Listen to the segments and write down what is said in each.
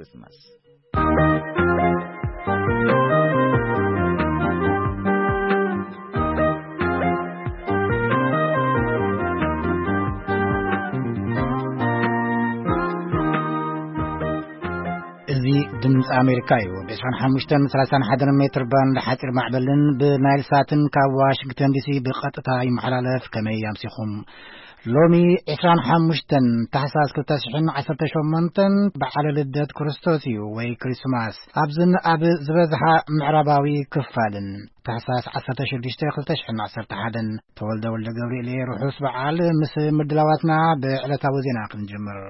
Christmas. እዚ ድምፂ ኣሜሪካ እዩ። ብ25 31 ሜትር ባንድ ሓፂር ማዕበልን ብናይል ሳትን ካብ ዋሽንግተን ዲሲ ብቐጥታ ይመሓላለፍ። ከመይ ኣምሲኹም? ሎሚ 25 ታሕሳስ 2018 በዓለ ልደት ክርስቶስ እዩ ወይ ክሪስማስ። ኣብዝን ኣብ ዝበዝሓ ምዕራባዊ ክፋልን ታሕሳስ 16 2011። ተወልደ ወልደ ገብርኤል እየ። ርሑስ በዓል ምስ ምድላዋትና ብዕለታዊ ዜና ክንጅምር።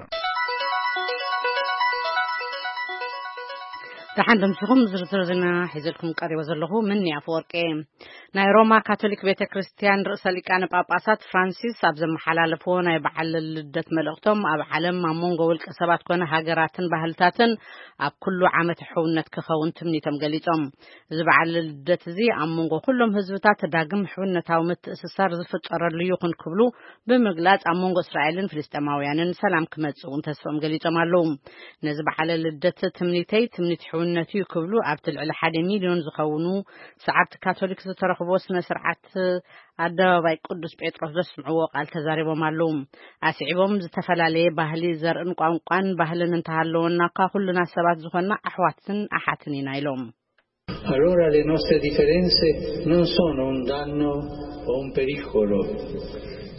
ደሓን ደምሲኹም ዝርዝር ዜና ሒዘልኩም ቀሪበ ዘለኹ ምን ኣፈወርቂ። ናይ ሮማ ካቶሊክ ቤተ ክርስቲያን ርእሰ ሊቃነ ጳጳሳት ፍራንሲስ ኣብ ዘመሓላለፍዎ ናይ በዓል ልደት መልእኽቶም፣ ኣብ ዓለም ኣብ መንጎ ውልቀ ሰባት ኮነ ሃገራትን ባህልታትን ኣብ ኩሉ ዓመት ሕውነት ክኸውን ትምኒቶም ገሊጾም። እዚ በዓል ልደት እዚ ኣብ መንጎ ኩሎም ህዝብታት ዳግም ሕውነታዊ ምትእስሳር ዝፍጠረሉ ይኹን ክብሉ ብምግላጽ፣ ኣብ መንጎ እስራኤልን ፍልስጤማውያንን ሰላም ክመጽእ እውን ተስፋኦም ገሊጾም ኣለዉ። ነዚ በዓለ ልደት ትምኒተይ ትምኒት ሕውነት እዩ ክብሉ ኣብቲ ልዕሊ ሓደ ሚልዮን ዝኸውን ሰዓብቲ ካቶሊክ ዝተረኽቦ ስነ ስርዓት ኣደባባይ ቅዱስ ጴጥሮስ ዘስምዕዎ ቃል ተዛሪቦም ኣለዉ። ኣስዒቦም፣ ዝተፈላለየ ባህሊ፣ ዘርእን ቋንቋን ባህልን እንተሃለወና እኳ፣ ኩልና ሰባት ዝኾንና ኣሕዋትን ኣሓትን ኢና ኢሎም። Allora le nostre differenze non sono un danno o un pericolo.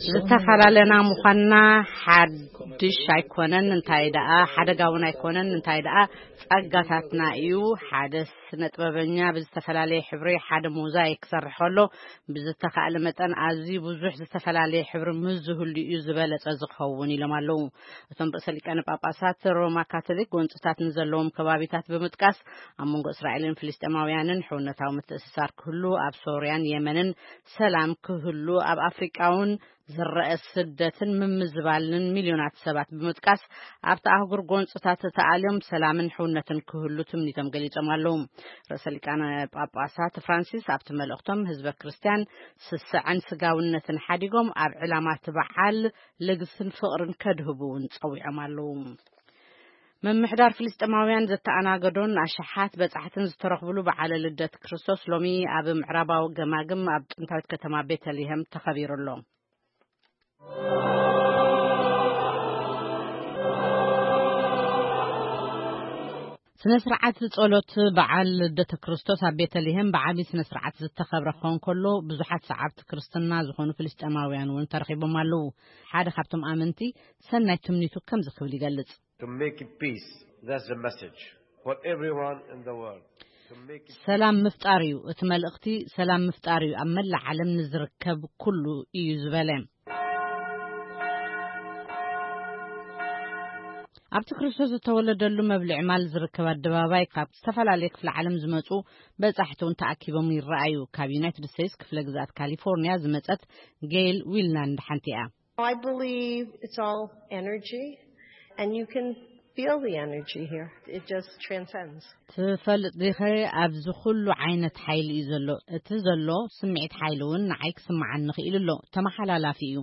ዝተፈላለና ምዃንና ሓድሽ ኣይኮነን፣ እንታይ ደኣ ሓደጋ እውን ኣይኮነን፣ እንታይ ደኣ ጸጋታትና እዩ። ሓደ ስነ ጥበበኛ ብዝተፈላለየ ሕብሪ ሓደ ሞዛይክ ክሰርሕ ከሎ፣ ብዝተኻእለ መጠን ኣዝዩ ብዙሕ ዝተፈላለየ ሕብሪ ምስ ዝህሉ እዩ ዝበለጸ ዝኸውን ኢሎም ኣለዉ። እቶም ርእሰ ሊቃነ ጳጳሳት፣ ሮማ ካቶሊክ ጎንጽታት ንዘለዎም ከባቢታት ብምጥቃስ፣ ኣብ መንጎ እስራኤልን ፍልስጤማውያንን ሕውነታዊ ምትእስሳር ክህሉ፣ ኣብ ሶርያን የመንን ሰላም ክህሉ፣ ኣብ ኣፍሪቃ እውን ዝረአ ስደትን ምምዝባልን ሚልዮናት ሰባት ብምጥቃስ፣ ኣብቲ ኣህጉር ጎንጽታት ተኣልዮም ሰላምን ሕውነትን ክህሉ ትምኒቶም ገሊጾም ኣለዉ። ርእሰ ሊቃነ ጳጳሳት ፍራንሲስ ኣብቲ መልእኽቶም፣ ህዝበ ክርስቲያን ስስዐን ስጋውነትን ሓዲጎም ኣብ ዕላማ እቲ በዓል ልግስን ፍቕርን ከድህቡ እውን ጸዊዖም ኣለዉ። ምምሕዳር ፍልስጤማውያን ዘተኣናገዶን ኣሽሓት በጻሕትን ዝተረኽብሉ በዓለ ልደት ክርስቶስ ሎሚ ኣብ ምዕራባዊ ገማግም ኣብ ጥንታዊት ከተማ ቤተልሔም ተኸቢሩ ኣሎ። ስነ ስርዓት ጸሎት በዓል ልደተ ክርስቶስ ኣብ ቤተልሔም ብዓቢ ስነ ስርዓት ዝተኸብረ ክኸውን ከሎ፣ ብዙሓት ሰዓብቲ ክርስትና ዝኾኑ ፍልስጤማውያን እውን ተረኺቦም ኣለዉ። ሓደ ካብቶም ኣመንቲ ሰናይ ትምኒቱ ከምዚ ክብል ይገልጽ። To make peace. That's the message for everyone in the world. To make it ሰላም ምፍጣር እዩ እቲ መልእኽቲ። ሰላም ምፍጣር እዩ ኣብ መላእ ዓለም ንዝርከብ ኩሉ እዩ ዝበለ። ኣብቲ ክርስቶስ ዝተወለደሉ መብልዒ ማል ዝርከብ ኣደባባይ ካብ ዝተፈላለየ ክፍለ ዓለም ዝመጹ በጻሕቲ እውን ተኣኪቦም ይረኣዩ። ካብ ዩናይትድ ስቴትስ ክፍለ ግዝኣት ካሊፎርኒያ ዝመጸት ጌይል ዊልናንድ ሓንቲ እያ። I believe it's all energy, and you can feel the energy here. It just transcends. ትፈልጥ ዲኸ ኣብዚ ኩሉ ዓይነት ሓይሊ እዩ ዘሎ። እቲ ዘሎ ስምዒት ሓይሊ እውን ንዓይ ክስምዓኒ ክኢሉ ኣሎ። ተመሓላላፊ እዩ፣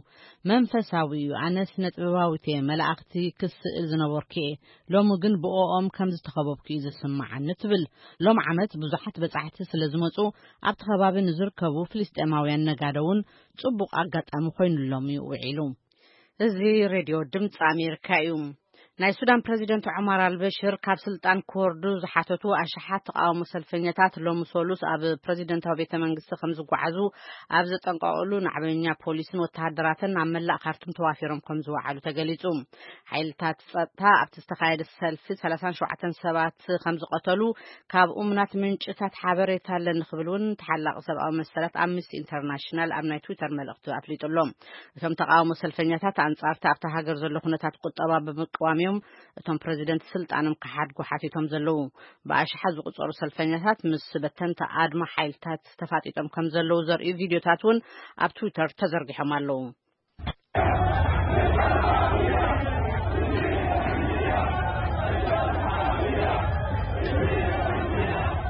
መንፈሳዊ እዩ። ኣነ ስነ ጥበባዊት እየ፣ መላእኽቲ ክስእል ዝነበርኩ እየ። ሎሚ ግን ብኦኦም ከም ዝተኸበብኩ እዩ ዝስምዓኒ ትብል። ሎም ዓመት ብዙሓት በጻሕቲ ስለ ዝመጹ ኣብቲ ከባቢ ንዝርከቡ ፍልስጤማውያን ነጋዶ እውን ጽቡቕ ኣጋጣሚ ኮይኑሎም እዩ ውዒሉ። እዚ ሬድዮ ድምፂ ኣሜሪካ እዩ። ናይ ሱዳን ፕረዚደንት ዑማር ኣልበሽር ካብ ስልጣን ክወርዱ ዝሓተቱ ኣሽሓት ተቃውሞ ሰልፈኛታት ሎሚ ሰሉስ ኣብ ፕረዚደንታዊ ቤተ መንግስቲ ከም ዝጓዓዙ ኣብ ዘጠንቀቀሉ ናዕበኛ ፖሊስን ወተሃደራትን ኣብ መላእ ካርቱም ተዋፊሮም ከም ዝወዓሉ ተገሊጹ። ሓይልታት ጸጥታ ኣብቲ ዝተኻየደ ሰልፊ 37 ሰባት ከም ዝቐተሉ ካብ እሙናት ምንጭታት ሓበሬታ ኣለኒ ክብል እውን ተሓላቂ ሰብኣዊ መሰላት ኣምነስቲ ኢንተርናሽናል ኣብ ናይ ትዊተር መልእኽቲ ኣፍሊጡ ኣሎ። እቶም ተቃውሞ ሰልፈኛታት ኣንጻርቲ ኣብታ ሃገር ዘሎ ኩነታት ቁጠባ ብምቅዋም እዮም እቶም ፕረዚደንት ስልጣኖም ክሓድጉ ሓቲቶም ዘለዉ። ብኣሽሓት ዝቁጸሩ ሰልፈኛታት ምስ በተንቲ ኣድማ ሓይልታት ተፋጢጦም ከም ዘለዉ ዘርእዩ ቪድዮታት እውን ኣብ ትዊተር ተዘርጊሖም ኣለዉ።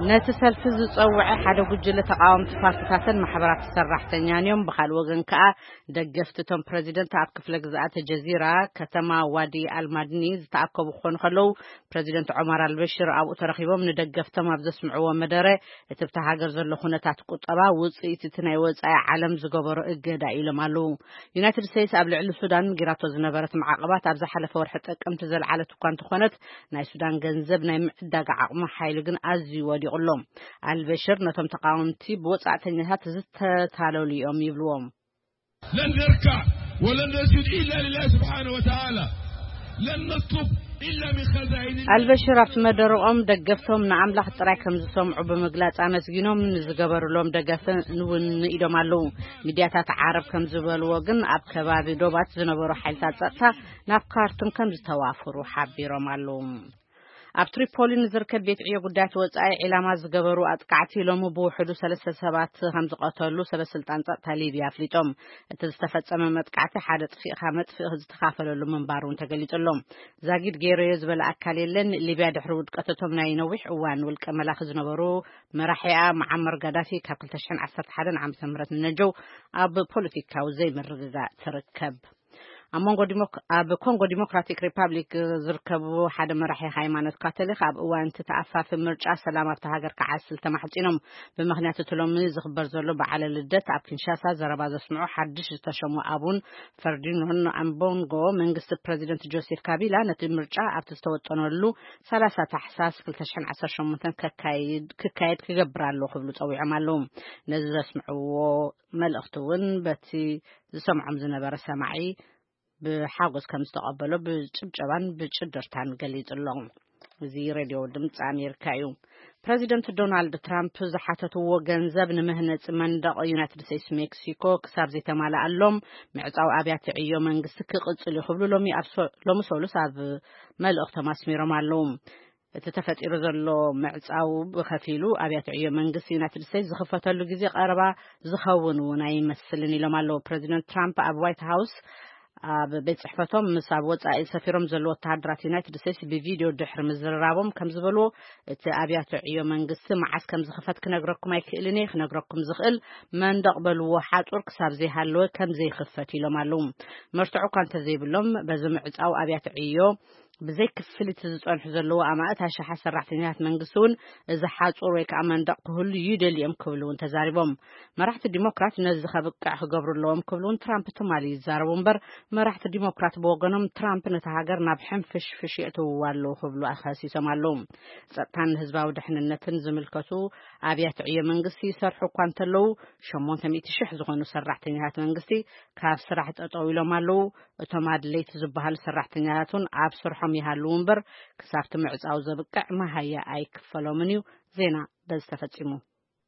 ነቲ ሰልፊ ዝጸውዐ ሓደ ጉጅለ ተቓወምቲ ፓርቲታትን ማሕበራት ሰራሕተኛን እዮም። ብኻልእ ወገን ከኣ ደገፍቲ እቶም ፕረዚደንት ኣብ ክፍለ ግዝኣት ጀዚራ ከተማ ዋዲ ኣልማድኒ ዝተኣከቡ ክኾኑ ከለዉ፣ ፕረዚደንት ዖማር ኣልበሽር ኣብኡ ተረኺቦም ንደገፍቶም ኣብ ዘስምዕዎ መደረ፣ እቲ ኣብታ ሃገር ዘሎ ኩነታት ቁጠባ ውጽኢት እቲ ናይ ወጻኢ ዓለም ዝገበሮ እገዳ ኢሎም ኣለዉ። ዩናይትድ ስቴትስ ኣብ ልዕሊ ሱዳን ጌራቶ ዝነበረት ማዕቐባት ኣብ ዝሓለፈ ወርሒ ጥቅምቲ ዘልዓለት እኳ እንተኾነት፣ ናይ ሱዳን ገንዘብ ናይ ምዕዳግ ዓቕሙ ሓይሉ ግን ኣዝዩ ወዲቑ ኣሎ። ኣልበሽር ነቶም ተቓወምቲ ብወጻእተኛታት ዝተታለሉ እዮም ይብልዎም። لن نركع ولن نسجد إلا لله سبحانه وتعالى. لن نطلب إلا من خزائن الله. ኣልበሽር ኣብቲ መደረኦም ደገፍቶም ንኣምላኽ ጥራይ ከም ዝሰምዑ ብምግላጽ ኣመስጊኖም፣ ንዝገበሩሎም ደገፍን እውን ንኢዶም ኣለዉ። ሚድያታት ዓረብ ከም ዝበልዎ ግን፣ ኣብ ከባቢ ዶባት ዝነበሩ ሓይልታት ጸጥታ ናብ ካርቱም ከም ዝተዋፈሩ ሓቢሮም ኣለዉ። ኣብ ትሪፖሊ ንዝርከብ ቤት ዕዮ ጉዳያት ወጻኢ ዒላማ ዝገበሩ ኣጥቃዕቲ ሎሚ ብውሕዱ ሰለስተ ሰባት ከም ዝቐተሉ ሰበ ስልጣን ጸጥታ ሊብያ ኣፍሊጦም። እቲ ዝተፈጸመ መጥቃዕቲ ሓደ ጥፊእካ መጥፍእ ዝተኻፈለሉ ምንባሩ እውን ተገሊጹ ኣሎ። ዛጊድ ገይረዮ ዝበለ ኣካል የለን። ሊብያ ድሕሪ ውድቀት እቶም ናይ ነዊሕ እዋን ውልቀ መላኺ ዝነበሩ መራሒኣ መዓመር ጋዳፊ ካብ ክልተ ሽሕን ዓሰርተ ሓደን ዓመተ ምህረት ንነጀው ኣብ ፖለቲካዊ ዘይምርግጋእ ትርከብ። ኣብ መንጎ ዲሞክ-፣ ኣብ ኮንጎ ዲሞክራቲክ ሪፓብሊክ ዝርከቡ ሓደ መራሒ ሃይማኖት ካቶሊክ ኣብ እዋን እቲ ተኣፋፊ ምርጫ ሰላም ኣብታ ሃገር ክዓስል ተማሕጺኖም። ብምኽንያት እቲ ሎሚ ዝኽበር ዘሎ በዓለ ልደት ኣብ ኪንሻሳ ዘረባ ዘስምዑ ሓድሽ ዝተሸሙ ኣቡን ፈርዲኖን ኣምቦንጎ፣ መንግስቲ ፕረዚደንት ጆሴፍ ካቢላ ነቲ ምርጫ ኣብቲ ዝተወጠነሉ ሰላሳ ታሕሳስ ክልተ ሽሕን ዓሰርተ ሸሞንተን ከካይድ፣ ክካየድ ክገብር ኣለዎ ክብሉ ጸዊዖም ኣለዉ። ነዚ ዘስምዕዎ መልእኽቲ እውን በቲ ዝሰምዖም ዝነበረ ሰማዒ ብሓጎስ ከም ዝተቐበሎ ብጭብጨባን ብጭድርታን ገሊጹ ኣሎ። እዚ ሬድዮ ድምፂ ኣሜሪካ እዩ። ፕረዚደንት ዶናልድ ትራምፕ ዝሓተትዎ ገንዘብ ንመህነፂ መንደቕ ዩናይትድ ስቴትስ ሜክሲኮ ክሳብ ዘይተማልኣሎም፣ ምዕፃው ኣብያተ ዕዮ መንግስቲ ክቕፅል እዩ ክብሉ ሎሚ ኣብ ሶ-፣ ሎሚ ሰሉስ ኣብ መልእኽቶም ኣስሚሮም ኣለዉ። እቲ ተፈጢሩ ዘሎ ምዕፃው ብኸፊሉ ኣብያተ ዕዮ መንግስቲ ዩናይትድ ስቴትስ ዝኽፈተሉ ግዜ ቀረባ ዝኸውን እውን ኣይመስልን ኢሎም ኣለዉ። ፕረዚደንት ትራምፕ ኣብ ዋይት ሃውስ ኣብ ቤት ጽሕፈቶም ምስ ኣብ ወጻኢ ሰፊሮም ዘለዉ ወተሃደራት ዩናይትድ ስቴትስ ብቪድዮ ድሕሪ ምዝርራቦም ከም ዝበልዎ፣ እቲ ኣብያተ ዕዮ መንግስቲ መዓስ ከም ዝኽፈት ክነግረኩም ኣይክእልን እየ። ክነግረኩም ዝኽእል መንደቕ በልዎ ሓጹር ክሳብ ዘይሃለወ ከም ዘይኽፈት ኢሎም ኣለዉ። መርትዖ እኳ እንተዘይብሎም፣ በዚ ምዕጻው ኣብያተ ዕዮ ብዘይ ክፍሊት ዝጸንሑ ዘለዉ ኣማእት ኣሽሓት ሰራሕተኛታት መንግስቲ እውን እዚ ሓጹር ወይ ከኣ መንደቕ ክህሉ ይደልዩ እዮም ክብሉ እውን ተዛሪቦም። መራሕቲ ዲሞክራት ነዚ ከብቅዕ ክገብሩ ኣለዎም ክብሉ እውን ትራምፕ ትማሊ ይዛረቡ እምበር፣ መራሕቲ ዲሞክራት ብወገኖም ትራምፕ ነታ ሃገር ናብ ሕንፍሽፍሽ የእትውዋ ኣለዉ ክብሉ ኣኸሲሶም ኣለዉ። ጸጥታን ህዝባዊ ድሕንነትን ዝምልከቱ ኣብያተ ዕዮ መንግስቲ ይሰርሑ እኳ እንተለዉ፣ ሸሞንተ ሚእቲ ሽሕ ዝኾኑ ሰራሕተኛታት መንግስቲ ካብ ስራሕ ጠጠው ኢሎም ኣለዉ። እቶም ኣድለይቲ ዝበሃሉ ሰራሕተኛታት እውን ኣብ ስርሖም ይሃልዉ እምበር፣ ክሳብቲ ምዕጻው ዘብቅዕ መሃያ ኣይክፈሎምን እዩ። ዜና በዚ ተፈጺሙ።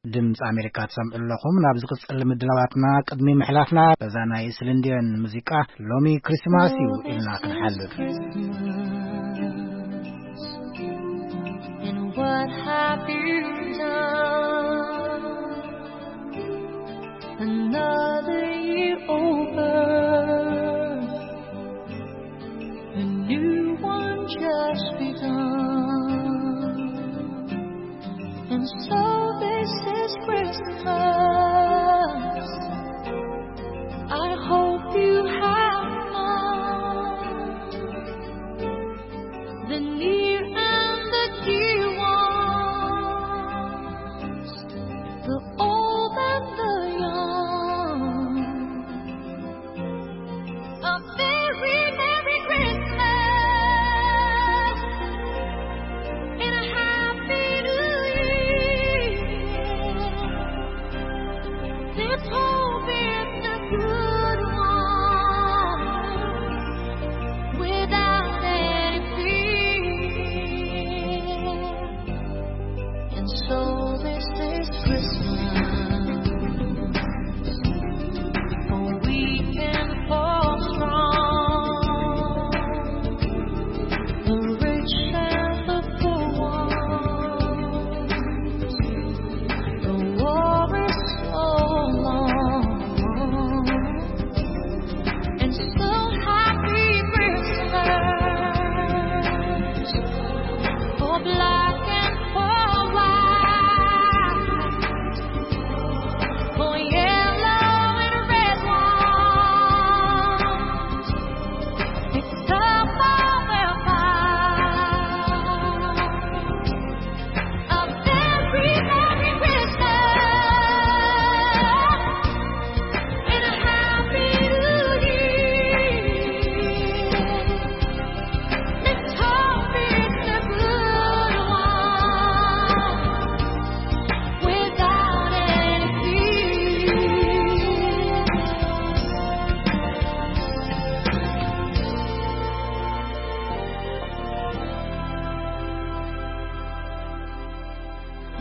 ድምፂ ኣሜሪካ ትሰምዑ ኣለኹም። ናብ ዝቕፅል ምድላዋትና ቅድሚ ምሕላፍና፣ በዛ ናይ ስልንድዮን ሙዚቃ ሎሚ ክሪስማስ እዩ ኢልና ክንሓልፍ። And what have you done? Another year over, a new one just begun. And so this is Christmas. I hope you have fun. The near and the dear ones, the old and the young. A very merry Christmas and a happy new year.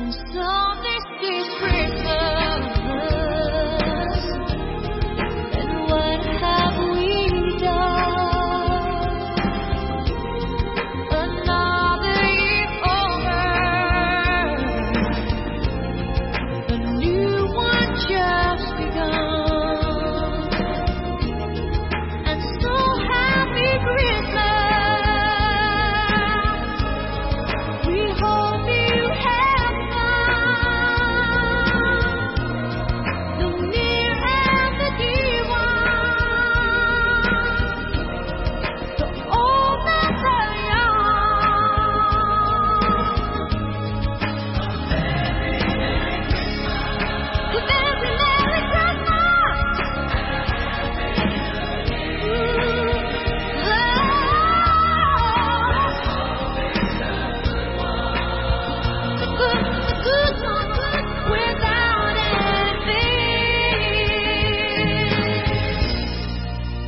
So this is Christmas, and what have we done? Another year over, a new one just begun. And so happy Christmas. We hope you have fun. The near and the dear ones. To all that are young. A very Merry Christmas.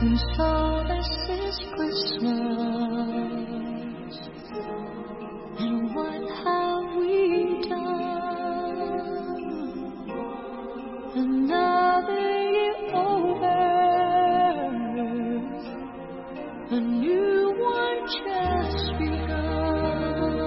And so this is Christmas. And what have we done? Another year over, a new one just begun.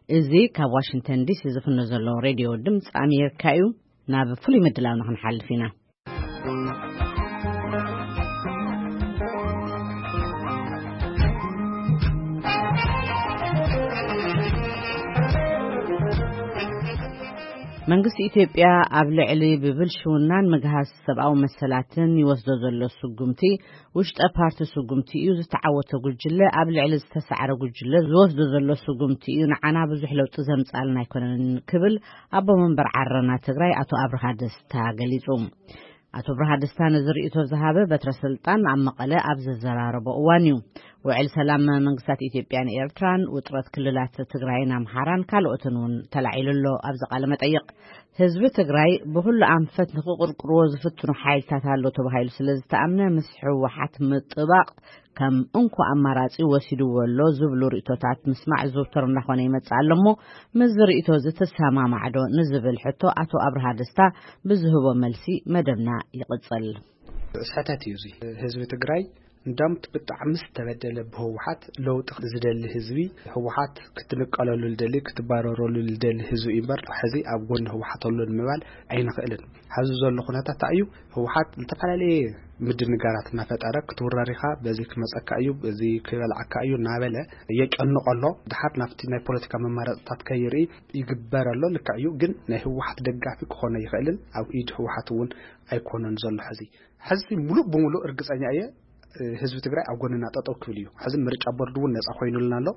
እዚ ካብ ዋሽንግተን ዲሲ ዝፍኖ ዘሎ ሬድዮ ድምፂ ኣሜሪካ እዩ። ናብ ፍሉይ ምድላውና ክንሓልፍ ኢና። መንግስቲ ኢትዮጵያ ኣብ ልዕሊ ብብልሽውናን ምግሃስ ሰብኣዊ መሰላትን ይወስዶ ዘሎ ስጉምቲ፣ ውሽጠ ፓርቲ ስጉምቲ እዩ፣ ዝተዓወተ ጉጅለ ኣብ ልዕሊ ዝተሳዕረ ጉጅለ ዝወስዶ ዘሎ ስጉምቲ እዩ፣ ንዓና ብዙሕ ለውጢ ዘምጻልና ኣይኮነን ክብል ኣቦ መንበር ዓረና ትግራይ ኣቶ ኣብርሃ ደስታ ገሊጹ። ኣቶ ኣብርሃ ደስታ ነዚ ርእይቶ ዝሃበ በትረ ስልጣን ኣብ መቐለ ኣብ ዘዘራረቦ እዋን እዩ። ውዕል ሰላም መንግስታት ኢትዮጵያን ኤርትራን፣ ውጥረት ክልላት ትግራይን ኣምሓራን ካልኦትን እውን ተላዒሉ ኣሎ። ኣብዚ ቃለ መጠይቕ፣ ህዝቢ ትግራይ ብኹሉ ኣንፈት ንክቕርቅርዎ ዝፍትኑ ሓይልታት ኣሎ ተባሂሉ ስለ ዝተኣምነ፣ ምስ ህወሓት ምጥባቕ ከም እንኮ ኣማራጺ ወሲድዎ ኣሎ ዝብሉ ርእይቶታት ምስማዕ ዝውተር እናኾነ ይመጽእ ኣሎ እሞ፣ ምስዚ ርእይቶ እዚ ትሰማማዕ ዶ ንዝብል ሕቶ ኣቶ ኣብርሃ ደስታ ብዝህቦ መልሲ መደብና ይቕጽል። ስሕተት እዩ እዚ። ህዝቢ ትግራይ እንዳም ብጣዕሚ ዝተበደለ ብህወሓት ለውጢ ዝደሊ ህዝቢ፣ ህወሓት ክትንቀለሉ ዝደሊ፣ ክትባረረሉ ዝደሊ ህዝቢ እዩ እምበር፣ ሕዚ ኣብ ጎኒ ህወሓት ኣሎ ንምባል ኣይንኽእልን። ሕዚ ዘሎ ኩነታት እንታይ እዩ? ህወሓት ዝተፈላለየ ምድንጋራት እናፈጠረ፣ ክትውረር ኢኻ፣ በዚ ክመፀካ እዩ፣ በዚ ክበልዓካ እዩ እናበለ የጨንቆ ኣሎ። ድሓር ናብቲ ናይ ፖለቲካ መማረፅታት ከይርኢ ይግበር ኣሎ። ልክዕ እዩ፣ ግን ናይ ህወሓት ደጋፊ ክኾን ኣይኽእልን። ኣብ ኢድ ህወሓት እውን ኣይኮነን ዘሎ ሕዚ። ሕዚ ሙሉእ ብሙሉእ እርግፀኛ እየ፣ ህዝቢ ትግራይ ኣብ ጎንና ጠጠው ክብል እዩ። ሕዚ ምርጫ ቦርድ እውን ነፃ ኮይኑልና ኣሎ፣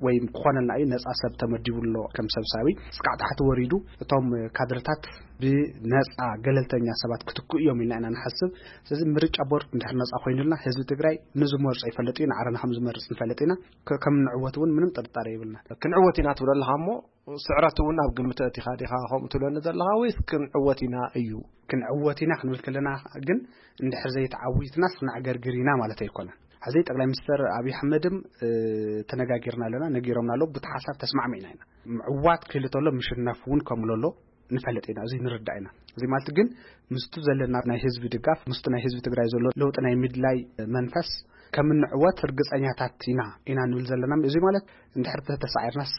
ወይ ክኾነልና እዩ፣ ነፃ ሰብ ተመዲቡ ኣሎ ከም ሰብሳቢ። እስካዕ ታሕቲ ወሪዱ እቶም ካድርታት ብነፃ ገለልተኛ ሰባት ክትክኡ እዮም ኢልና ኢና ንሓስብ። ስለዚ ምርጫ ቦርድ እንድሕር ነፃ ኮይኑልና፣ ህዝቢ ትግራይ ንዝመርጾ ይፈልጥ እዩ፣ ንዓረና ከም ዝመርጽ ንፈልጥ ኢና። ከ-፣ ከም ንዕወት እውን ምንም ጥርጣሬ የብልና። ክንዕወት ኢና ትብል ኣለኻ እሞ፣ ስዕረት እውን ኣብ ግምት ኣእቲኻ ዲኻ ከምኡ ትብለኒ ዘለኻ፣ ወይስ ክንዕወት ኢና እዩ? ክንዕወት ኢና ክንብል ከለና ግን፣ እንድሕር ዘይተዓዊትናስ ክነዕገርግር ኢና ማለት ኣይኮነን። ሕዚ ጠቅላይ ሚኒስትር ኣብይ ኣሕመድም፣ እ፣ ተነጋጊርና ኣለና፣ ነጊሮምና ኣለዉ፣ ብቲ ሓሳብ ተስማዕሚዕና ኢና። ምዕዋት ክህሉ ተሎ ምሽነፍ እውን ከምሎ ኣሎ ንፈልጥ ኢና፣ እዚ ንርዳእ ኢና። እዚ ማለት ግን ምስቱ ዘለና ናይ ህዝቢ ድጋፍ፣ ምስቱ ናይ ህዝቢ ትግራይ ዘሎ ለውጢ ናይ ምድላይ መንፈስ ከም እንዕወት ርግጸኛታት ኢና፣ ኢና ንብል ዘለና። እዚ ማለት እንድሕር ተተሳዒርናስ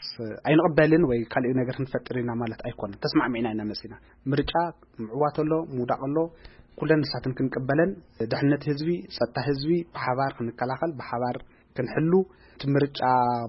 ኣይንቕበልን ወይ ካልእ ነገር ክንፈጥር ኢና ማለት ኣይኮነን። ተስማዕሚዕና ኢና መጺና። ምርጫ ምዕዋት ኣሎ፣ ምውዳቕ ኣሎ፣ ኩለን ንሳትን ክንቅበለን፣ ድሕነት ህዝቢ፣ ጸጥታ ህዝቢ ብሓባር ክንከላኸል፣ ብሓባር ክንሕሉ፣ እቲ ምርጫ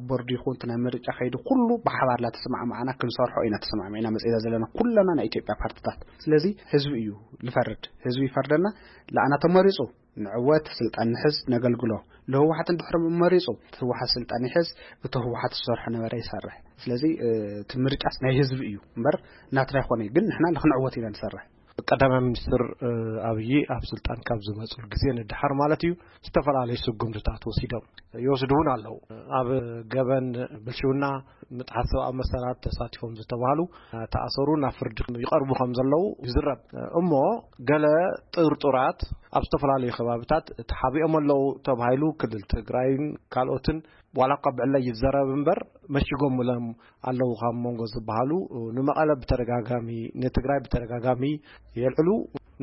ቦርድ ይኹን እቲ ናይ ምርጫ ከይዲ ኩሉ ብሓባር ላተሰማዕማዕና ክንሰርሖ ኢና ተሰማዕሚዕና መጺና ዘለና ኩለና ናይ ኢትዮጵያ ፓርትታት። ስለዚ ህዝቢ እዩ ልፈርድ፣ ህዝቢ ይፈርደና። ለኣና ተመሪጹ ንዕወት ስልጣን ንሕዝ ነገልግሎ። ለህወሓት እንድሕር መሪጹ እቲ ህወሓት ስልጣን ይሕዝ፣ እቲ ህወሓት ዝሰርሖ ነበረ ይሰርሕ። ስለዚ፣ እ፣ እቲ ምርጫስ ናይ ህዝቢ እዩ እምበር ናትና ኣይኮነ። ግን ንሕና ንክንዕወት ኢና ንሰርሕ። ቀዳማይ ሚኒስትር ኣብይ ኣብ ስልጣን ካብ ዝመፅሉ ግዜ ንድሓር ማለት እዩ፣ ዝተፈላለዩ ስጉምትታት ወሲዶም ይወስዱ እውን ኣለዉ። ኣብ ገበን ብልሽውና፣ ምጥሓስ ሰብኣዊ መሰላት ተሳቲፎም ዝተባህሉ ተኣሰሩ ናብ ፍርዲ ይቐርቡ ከም ዘለዉ ይዝረብ። እሞ ገለ ጥርጡራት ኣብ ዝተፈላለዩ ከባብታት ተሓቢኦም ኣለዉ ተባሂሉ፣ ክልል ትግራይን ካልኦትን ዋላ እኳ ብዕለ ይዘረብ እምበር መሽጎምሎም ኣለዉ ካብ መንጎ ዝበሃሉ። ንመቐለ ብተደጋጋሚ፣ ንትግራይ ብተደጋጋሚ የልዕሉ።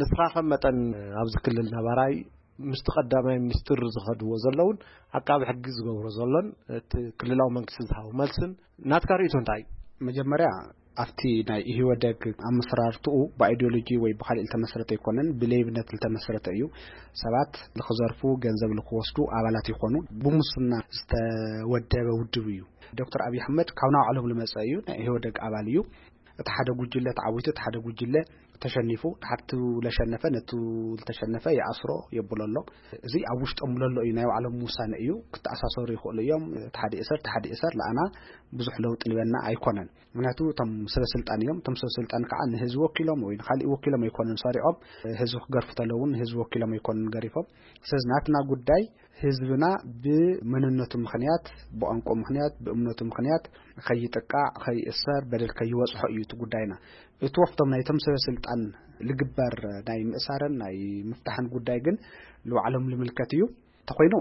ንስኻ ከም መጠን ኣብዚ ክልል ነባራይ ምስቲ ቀዳማይ ሚኒስትር ዝኸድዎ ዘለውን ዓቃቢ ሕጊ ዝገብሮ ዘሎን እቲ ክልላዊ መንግስቲ ዝሃቦ መልስን ናትካ ርእይቶ እንታይ እዩ? መጀመርያ ኣብቲ ናይ ኢህወደግ ኣመሰራርትኡ ብኣይዲዮሎጂ ወይ ብካሊእ ዝተመስረተ ኣይኮነን፣ ብሌብነት ዝተመስረተ እዩ። ሰባት ልክዘርፉ፣ ገንዘብ ልክወስዱ ኣባላት ይኾኑ። ብሙስና ዝተወደበ ውድብ እዩ። ዶክተር ኣብይ ኣሕመድ ካብ ናባዕሎም ልመፀ እዩ፣ ናይ ኢህወደግ ኣባል እዩ። እቲ ሓደ ጉጅለ ተዓዊቱ፣ እቲ ሓደ ጉጅለ ተሸኒፉ፣ እቲ ለሸነፈ ነቱ ልተሸነፈ ይኣስሮ የብሎ ኣሎ። እዚ ኣብ ውሽጦም ለሎ እዩ፣ ናይ ባዕሎም ውሳነ እዩ። ክተኣሳሰሩ ይኽእሉ እዮም። እቲ ሓደ ይእሰር፣ እቲ ሓደ ይእሰር፣ ለኣና ብዙሕ ለውጢ ልበና ኣይኮነን። ምክንያቱ እቶም ሰበ ስልጣን እዮም። እቶም ሰበ ስልጣን ከዓ ንህዝቢ ወኪሎም ወይ ንካሊእ ወኪሎም ኣይኮኑን ሰሪዖም። ህዝቢ ክገርፉ ተለውን ንህዝቢ ወኪሎም ኣይኮኑን ገሪፎም። ስለዚ ናትና ጉዳይ ህዝብና ብመንነቱ ምክንያት፣ ብቋንቋ ምክንያት፣ ብእምነቱ ምክንያት ከይጥቃዕ፣ ከይእሰር፣ በደል ከይበፅሖ እዩ እቲ ጉዳይና። እቲ ወፍቶም ናይቶም ሰበ ስልጣን ልግበር ናይ ምእሳርን ናይ ምፍታሕን ጉዳይ ግን ንባዕሎም ልምልከት እዩ። እንተኾይኑ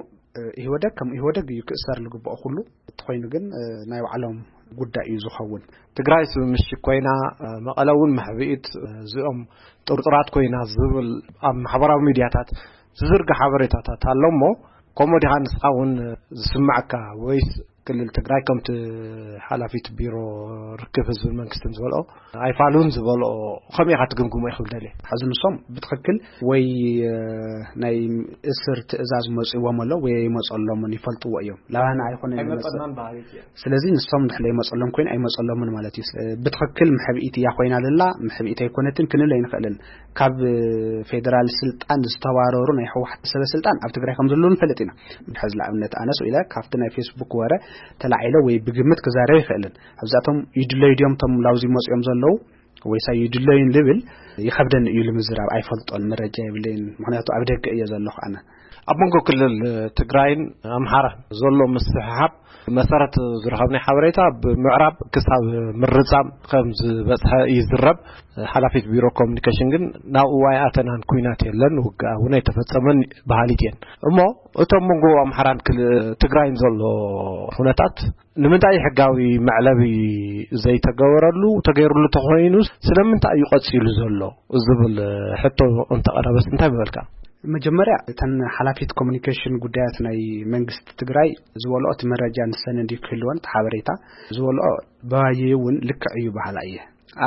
ኢህወደግ ከም ኢህወደግ እዩ ክእሰር ልግብኦ ኩሉ። እንተኾይኑ ግን ናይ ባዕሎም ጉዳይ እዩ ዝኸውን። ትግራይ ስምምሽግ ኮይና፣ መቐለ እውን መሕብኢት፣ እዚኦም ጥርጡራት ኮይና ዝብል ኣብ ማሕበራዊ ሚድያታት ዝዝርጋ ሓበሬታታት ኣሎ እሞ፣ ከምኡ ዲኻ ንስኻ እውን ዝስማዓካ? ወይስ ክልል ትግራይ ከምቲ ሓላፊት ቢሮ ርክብ ህዝብን መንግስትን ዝበልኦ ኣይፋሉን ዝበልኦ ከመይ ኢኻ ትግምግሞ ኢኹም ደልየ? ሕዚ ንሶም ብትኽክል ወይ ናይ እስር ትእዛዝ መፅዎም ኣሎ ወይ ኣይመፀሎምን ይፈልጥዎ እዮም። ላባና ኣይኮነን ይመፅእ። ስለዚ ንሶም ድሕለ ይመፀሎም ኮይኑ ኣይመፀሎምን ማለት እዩ። ብትኽክል ምሕብኢት እያ ኮይና ዘላ፣ ምሕብኢት ኣይኮነትን ክንብል ኣይንኽእልን። ካብ ፌደራል ስልጣን ዝተባረሩ ናይ ህወሓት ሰበ ስልጣን ኣብ ትግራይ ከም ዘለዉ ንፈልጥ ኢና። ሕዚ ንኣብነት ኣነስ ኢለ ካብቲ ናይ ፌስቡክ ወረ ተላዒለ ወይ ብግምት ክዛረብ ይኽእልን። ኣብዛቶም ይድለዩ ድዮም ቶም ላውዚ መፅኦም ዘለዉ ወይሳ ይድለዩን ልብል ይኸብደኒ እዩ ልምዝራብ። ኣይፈልጦን፣ መረጃ የብለይን። ምክንያቱ ኣብ ደገ እየ ዘለኹ ኣነ። ኣብ መንጎ ክልል ትግራይን ኣምሓራን ዘሎ ምስሕሓብ መሰረት ዝረኸብናይ ሓበሬታ ብምዕራብ ክሳብ ምርጻም ከም ዝበጽሐ ይዝረብ። ሓላፊት ቢሮ ኮሚኒኬሽን ግን ናብኡ ኣይኣተናን፣ ኩናት የለን፣ ውግኣ እውን ኣይተፈጸመን በሃሊት እየን። እሞ እቶም መንጎ ኣምሓራን ክል-፣ ትግራይን ዘሎ ኩነታት ንምንታይ ሕጋዊ መዕለቢ ዘይተገበረሉ፣ ተገይሩሉ ተኾይኑ ስለምንታይ እዩ ቀጺሉ ዘሎ ዝብል ሕቶ እንተቐረበስ እንታይ ምበልካ? መጀመርያ እተን ሓላፊት ኮሚኒኬሽን ጉዳያት ናይ መንግስቲ ትግራይ ዝበልኦ እቲ መረጃ ንሰን እንዲ ክህልወን እቲ ሓበሬታ ዝበልኦ ባየ እውን ልክዕ እዩ በሃላ እየ።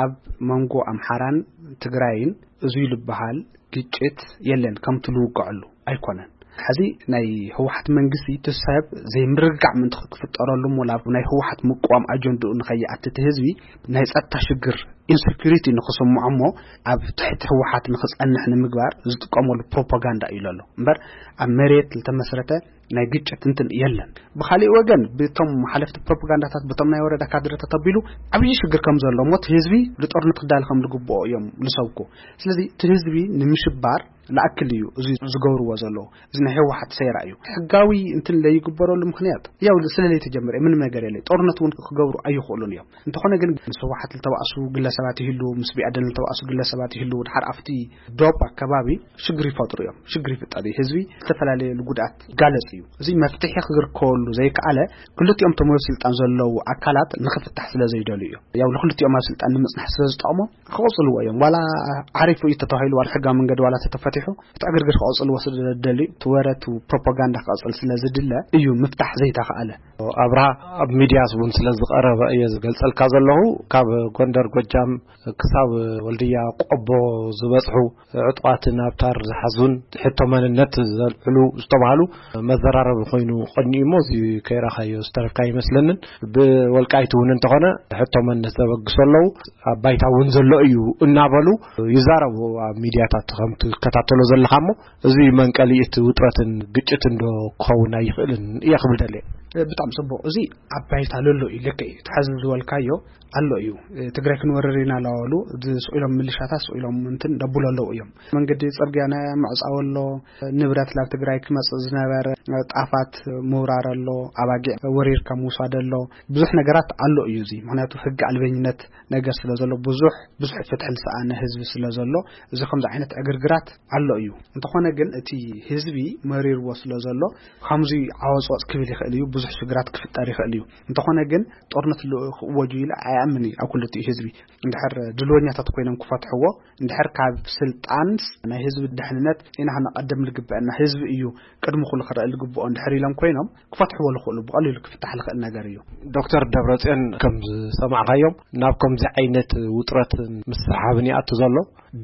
ኣብ መንጎ ኣምሓራን ትግራይን እዙይ ዝበሃል ግጭት የለን፣ ከምቲ ልውግዐሉ ኣይኮነን። ሕዚ ናይ ህወሓት መንግስቲ እቲ ሰብ ዘይምርግጋዕ ምእንቲ ክፍጠረሉ እሞ ናብ ናይ ህወሓት ምቅዋም ኣጀንድኡ ንኸይኣትት ህዝቢ ናይ ጸጥታ ሽግር ኢንሴኩሪቲ ንኽስምዖ እሞ ኣብ ትሕቲ ህወሓት ንኽጸንሕ ንምግባር ዝጥቀመሉ ፕሮፓጋንዳ እዩ ዘሎ እምበር ኣብ መሬት ዝተመስረተ ናይ ግጭት እንትን የለን። ብኻሊእ ወገን ብቶም ሓለፍቲ ፕሮፓጋንዳታት በቶም ናይ ወረዳ ካድረታት ኣቢሉ ዓብዪ ሽግር ከም ዘሎ እሞ እቲ ህዝቢ ንጦርነት ክዳል ከም ዝግብኦ እዮም ዝሰብኩ። ስለዚ እቲ ህዝቢ ንምሽባር ላኣክል እዩ እዚ ዝገብርዎ ዘለዉ። እዚ ናይ ህወሓት ሴራ እዩ። ሕጋዊ እንትን ለይግበረሉ ምክንያት ያው ስለ ለይተጀመረ ምንም ነገር የለ። ጦርነት እውን ክገብሩ ኣይኽእሉን እዮም። እንተኾነ ግን ምስ ህወሓት ዝተባእሱ ግለሰባት ይህሉ፣ ምስ ቢኣደን ዝተባእሱ ግለሰባት ይህሉ፣ ድሓር ኣብቲ ዶብ ኣከባቢ ሽግር ይፈጥሩ እዮም። ሽግር ይፍጠር እዩ። ህዝቢ ዝተፈላለየ ጉድኣት ይጋለጽ እዩ። እዚ መፍትሒ ክግርከወሉ ዘይከኣለ ክልቲኦም ተመዮ ስልጣን ዘለዉ ኣካላት ንኽፍታሕ ስለ ዘይደልዩ እዮም። ያው ንክልቲኦም ኣብ ስልጣን ንምጽናሕ ስለ ዝጠቕሞ ክቕጽልዎ እዮም። ዋላ ዓሪፉ እዩ ተተባሂሉ፣ ዋላ ሕጋዊ መንገዲ ዋላ ተተፈቲሑ እቲ ዕግርግር ክቐጽልዎ ስለ ዝደልዩ እቲ ወረ እቲ ፕሮፓጋንዳ ክቐጽል ስለ ዝድለ እዩ ምፍታሕ ዘይተኻኣለ። ኣብርሃ ኣብ ሚድያስ እውን ስለ ዝቐረበ እየ ዝገልጸልካ ዘለኹ። ካብ ጎንደር፣ ጎጃም ክሳብ ወልድያ፣ ቆቦ ዝበጽሑ ዕጡቓትን ኣብታር ዝሓዙን ሕቶ መንነት ዘልዕሉ ዝተባህሉ መዘራረቢ ኮይኑ ቀኒኡ እሞ እዚ ከይረኣኻዮ ዝተረፍካ ኣይመስለንን። ብወልቃይት እውን እንተኾነ ሕቶ መንነት ዘበግሱ ኣለዉ። ኣብ ባይታ እውን ዘሎ እዩ እናበሉ ይዛረቡ ኣብ ሚድያታት ከም ትከታተሎ ዘለኻ እሞ እዚ መንቀሊ እቲ ውጥረትን ግጭትን ዶ ክኸውን ኣይኽእልን እየ ክብል ደልየ። ብጣዕሚ ጽቡቕ። እዚ ኣብ ባይታ ለሎ እዩ፣ ልክዕ እዩ። እቲ ሕዚ ዝበልካዮ ኣሎ እዩ። ትግራይ ክንወርር ኢና እናበሉ፣ እዚ ስቕ ኢሎም፣ ምልሻታት ስቕ ኢሎም እንትን ደብሉ ኣለዉ እዮም። መንገዲ ጽርግያ ናይ ምዕጻው ኣሎ፣ ንብረት ናብ ትግራይ ክመጽእ ዝነበረ ጣፋት ምውራር ኣሎ፣ ኣባጊዕ ወሪርካ ምውሳድ ኣሎ። ብዙሕ ነገራት ኣሎ እዩ እዚ። ምኽንያቱ፣ ሕጊ ኣልበኝነት ነገር ስለ ዘሎ፣ ብዙሕ፣ ብዙሕ ፍትሒ ዝሰኣነ ህዝቢ ስለ ዘሎ፣ እዚ ከምዚ ዓይነት ዕግርግራት ኣሎ እዩ። እንተኾነ ግን፣ እቲ ህዝቢ መሪርዎ ስለ ዘሎ፣ ከምዚ ዓወጽወጽ ክብል ይኽእል እዩ፣ ብዙሕ ሽግራት ክፍጠር ይኽእል እዩ። እንተኾነ ግን፣ ጦርነት ል-፣ ክእወጁ ኢለ ኣይኣምን እዩ ኣብ ክልቲኡ ህዝቢ። እንድሕር ድልወኛታት ኮይኖም ክፈትሕዎ፣ እንድሕር ካብ ስልጣንስ ናይ ህዝቢ ድሕንነት ኢና ክነቐድም ዝግበአና፣ ህዝቢ እዩ ቅድሚ ኩሉ ክረአ ዝግብኦ እንድሕር ኢሎም ኮይኖም፣ ክፈትሕዎ ዝኽእሉ፣ ብቐሊሉ ክፍታሕ ዝኽእል ነገር እዩ። ዶክተር ደብረጽዮን፣ ከም ዝሰማዕካዮም፣ ናብ ከምዚ ዓይነት ውጥረት ምስሕሓብን ይኣቱ ዘሎ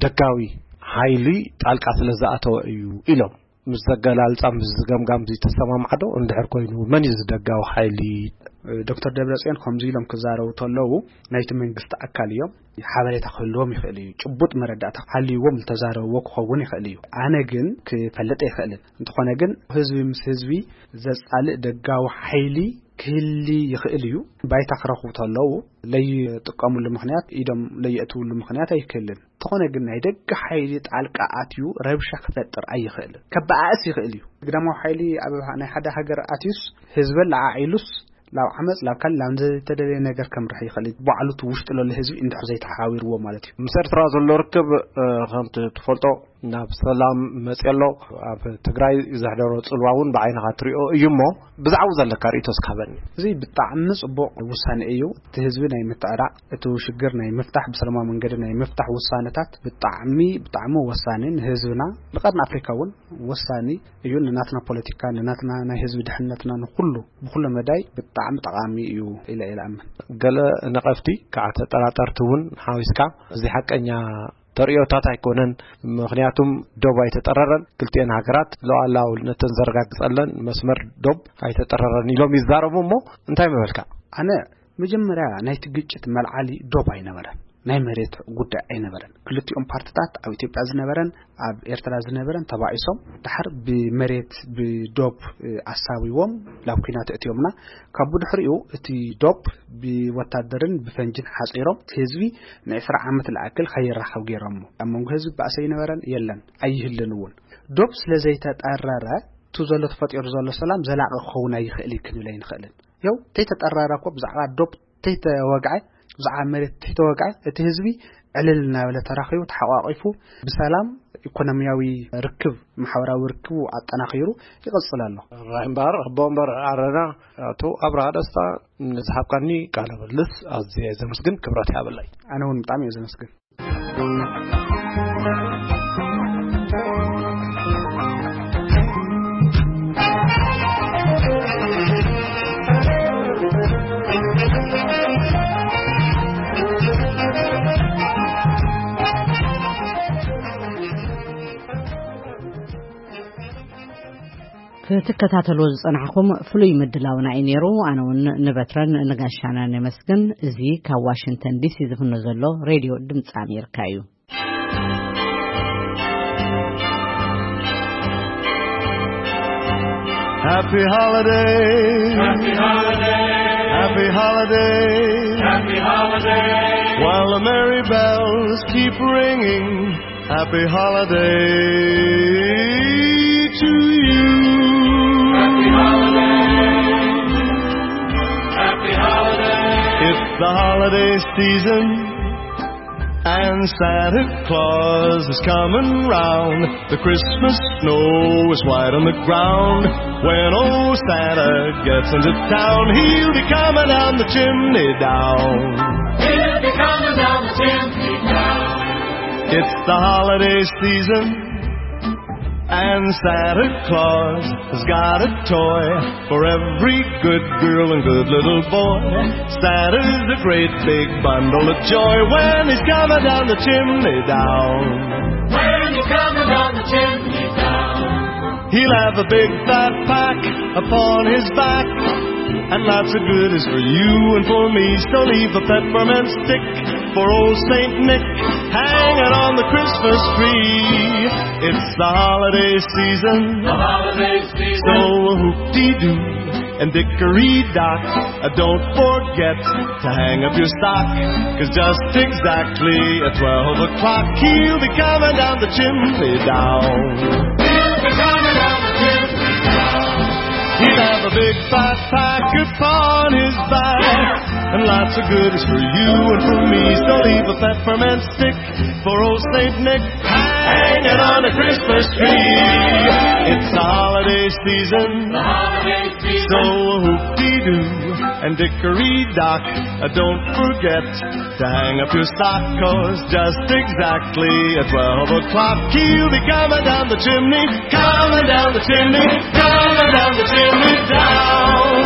ደጋዊ ሓይሊ ጣልቃ ስለ ዝኣተወ እዩ ኢሎም። ምስ ዘገላልጻ፣ ምስ ዝገምጋም እዚ ተሰማምዓዶ? እንድሕር ኮይኑ፣ መን እዩ እዚ ደጋዊ ሓይሊ? ዶክተር ደብረጽዮን ከምዚ ኢሎም ክዛረቡ ተለዉ፣ ናይቲ መንግስቲ ኣካል እዮም። ሓበሬታ ክህልዎም ይኽእል እዩ። ጭቡጥ መረዳእታ ሃልይዎም ዝተዛረብዎ ክኸውን ይኽእል እዩ። ኣነ ግን ክፈልጥ ኣይኽእልን። እንተኾነ ግን፣ ህዝቢ ምስ ህዝቢ ዘጻልእ ደጋዊ ሓይሊ ክህሊ ይኽእል እዩ። ባይታ ክረኽቡ ተለዉ፣ ለይጥቀሙሉ ምኽንያት፣ ኢዶም ለየእትውሉ ምኽንያት ኣይክህልን። እንተኾነ ግን፣ ናይ ደገ ሓይሊ ጣልቃ ኣትዩ ረብሻ ክፈጥር ኣይኽእልን። ከበኣእስ ይኽእል እዩ። ግዳማዊ ሓይሊ ኣብ ናይ ሓደ ሃገር ኣትዩስ፣ ህዝበን ለዓዒሉስ፣ ላብ ዓመጽ፣ ላብ ካልእ፣ ላብ ዘይተደለየ ነገር ከምርሕ ይኽእል እዩ። ባዕሉ እቲ ውሽጢ ለሎ ህዝቢ እንድሕር ዘይተሓባቢርዎ ማለት እዩ። ምስ ኤርትራ ዘሎ ርክብ፣ እ፣ ከምቲ ትፈልጦ፣ ናብ ሰላም መጽእ ኣሎ። ኣብ ትግራይ ዘሕደሮ ጽልዋ እውን ብዓይንኻ ትሪኦ እዩ እሞ፣ ብዛዕባኡ ዘለካ ርእይቶ እስኪ ሃበኒ። እዚ ብጣዕሚ ጽቡቕ ውሳኔ እዩ። እቲ ህዝቢ ናይ ምትዕራቕ፣ እቲ ሽግር ናይ ምፍታሕ፣ ብሰላማዊ መንገዲ ናይ ምፍታሕ ውሳነታት ብጣዕሚ፣ ብጣዕሚ ወሳኒ፣ ንህዝብና፣ ንቀርኒ ኣፍሪካ እውን ወሳኒ እዩ። ንናትና ፖለቲካ፣ ንናትና ናይ ህዝቢ ድሕነትና፣ ንኹሉ፣ ብኹሉ መዳይ ብጣዕሚ ጠቓሚ እዩ ኢለ እየ ዝኣምን። ገለ ነቐፍቲ፣ ከዓ ተጠራጠርቲ እውን ሓዊስካ፣ እዚ ሓቀኛ ተርእዮታት ኣይኮነን። ምኽንያቱም ዶብ ኣይተጠረረን፣ ክልቲኤን ሃገራት ሉዓላውነተን ዘረጋግጸለን መስመር ዶብ ኣይተጠረረን ኢሎም ይዛረቡ። እሞ እንታይ ምበልካ? ኣነ መጀመርያ ናይቲ ግጭት መልዓሊ ዶብ ኣይነበረን፣ ናይ መሬት ጉዳይ ኣይነበረን። ክልቲኦም ፓርትታት፣ ኣብ ኢትዮጵያ ዝነበረን ኣብ ኤርትራ ዝነበረን፣ ተባኢሶም፣ ድሓር ብመሬት፣ ብዶብ፣ እ፣ ኣሳቢዎም ላብ ኲናት እትዮምና። ካብ ብድሕሪኡ እቲ ዶብ ብወታደርን ብፈንጅን ሓጺሮም፣ እቲ ህዝቢ ንዕስራ ዓመት ዝኣክል ከይራኸብ ገይሮሞ። ኣብ መንጎ ህዝቢ ባእሲ ኣይነበረን፣ የለን፣ ኣይህልን እውን። ዶብ ስለ ዘይተጠረረ፣ እቲ ዘሎ ተፈጢሩ ዘሎ ሰላም ዘላቒ ክኸውን ኣይኽእል እዩ ክንብል ኣይንኽእልን። ያው፣ ተይተጠረረ እኮ ብዛዕባ ዶብ ተይተወግዐ፣ ብዛዕባ መሬት ተይተወግዐ፣ እቲ ህዝቢ ዕልል እናበለ ተራኺቡ፣ ተሓቋቒፉ፣ ብሰላም ኢኮኖሚያዊ ርክብ፣ ማሕበራዊ ርክቡ ኣጠናኺሩ ይቕጽል ኣሎ። ራሂም በሃር፣ ኣቦ ወንበር ዓረና፣ ኣቶ ኣብርሃ ደስታ፣ ንዝሃብካኒ ቃለ ምልልስ ኣዝየ ዘመስግን፣ ክብረት ይሃበለይ። ኣነ እውን ብጣዕሚ እየ ዘመስግን። ክትከታተልዎ ዝጸናሕኩም ፍሉይ ምድላውና እዩ ነይሩ። ኣነ እውን ንበትረን ንጋሻናን ነመስግን። እዚ ካብ ዋሽንግተን ዲሲ ዝፍኖ ዘሎ ሬድዮ ድምፂ ኣሜሪካ እዩ። Happy holiday. Happy holiday. Happy holiday. Happy holiday. While the merry bells keep ringing, happy holiday to you. Happy holiday. Happy holiday. It's the holiday season, and Santa Claus is coming round. The Christmas snow is white on the ground. When old Santa gets into town, he'll be coming down the chimney down. He'll be coming down the chimney down. It's the holiday season, and Santa Claus has got a toy for every good girl and good little boy. Santa's a great big bundle of joy when he's coming down the chimney down. When he's coming down the chimney down. He'll have a big fat pack upon his back, and lots of good is for you and for me. So leave a peppermint stick for old Saint Nick hanging on the Christmas tree. It's the holiday season. The holiday season. So a hoop-dee-doo. And Dickory Dock, uh, don't forget to hang up your stock, 'cause just exactly at twelve o'clock, he'll be coming down the chimney down. He'll be coming down the chimney down. He'll have a big fat pack upon his back, and lots of goodies for you and for me. So leave a peppermint stick for old Saint Nick hanging on a Christmas tree. It's the holiday season, so whoop-dee-doo and Dickory Dock, uh, don't forget to hang up your stock, 'cause just exactly at twelve o'clock, he'll be coming down the chimney, coming down the chimney, coming down the chimney down.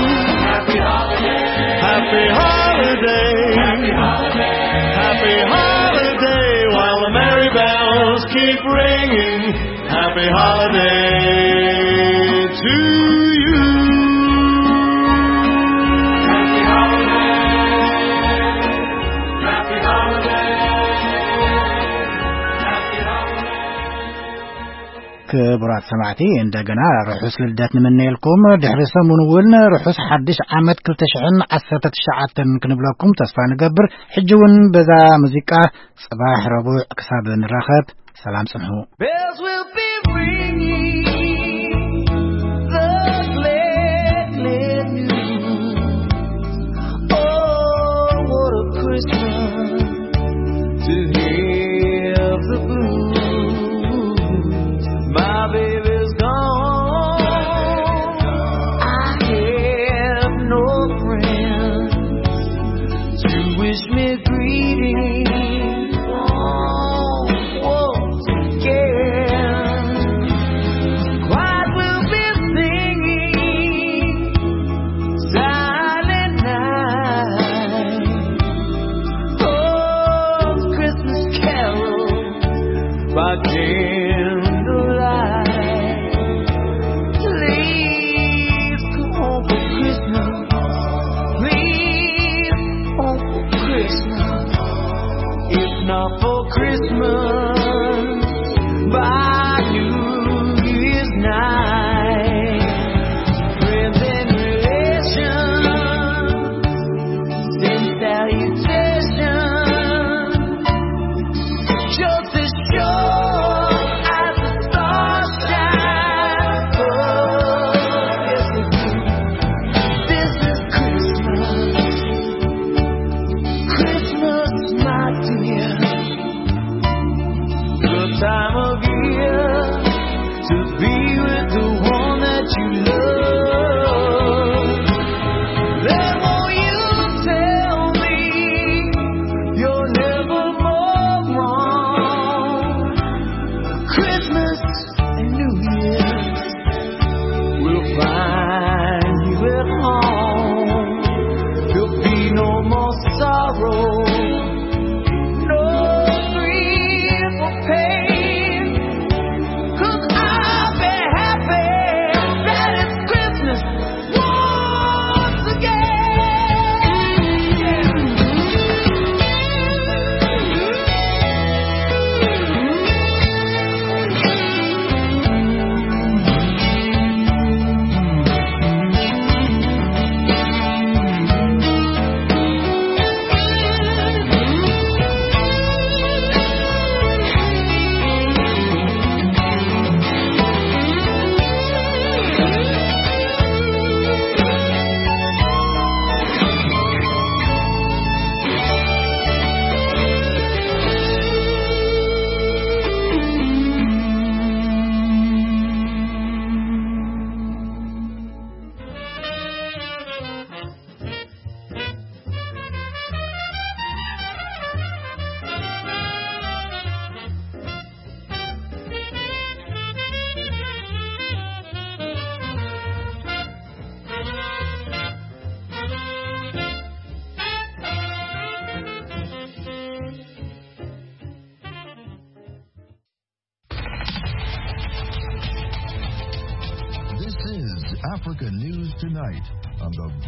Happy holiday. Happy holiday. Happy holiday. Happy holiday while the merry bells keep ringing. Happy holiday to you. Happy holiday. Happy holiday. Happy holiday. ክቡራት ሰማዕቲ፣ እንደገና ርሑስ ልደት ንምነየልኩም። ድሕሪ ሰሙን እውን ርሑስ ሓድሽ ዓመት ክልተ ሽሕን ዓሰርተ ትሽዓተን ክንብለኩም ተስፋ ንገብር። ሕጂ እውን በዛ ሙዚቃ ጽባሕ ረቡዕ ክሳብ ንራኸብ ሰላም ጽንሑ። Bells will be ringing the glad, glad news. Oh, what a Christmas to have the blues. My baby's gone. I have no friends to wish me greetings. Oh, once again, quiet will be singing, silent night. Oh, Christmas carol by candlelight. Please come home for Christmas. Please come home for Christmas. If not for Christmas, by New Year's night. Friends and relations send salutations. Just as sure as the stars shine above. Yes, it is. This is Christmas. Christmas, my dear. The time of year to be with the one that you love. Then won't you tell me you're never more wrong? Christmas and New Year's will find you at home. There'll be no more sorrow, no grief or pain. 'Cause I'll be happy that it's Christmas once again. This is Africa News Tonight on the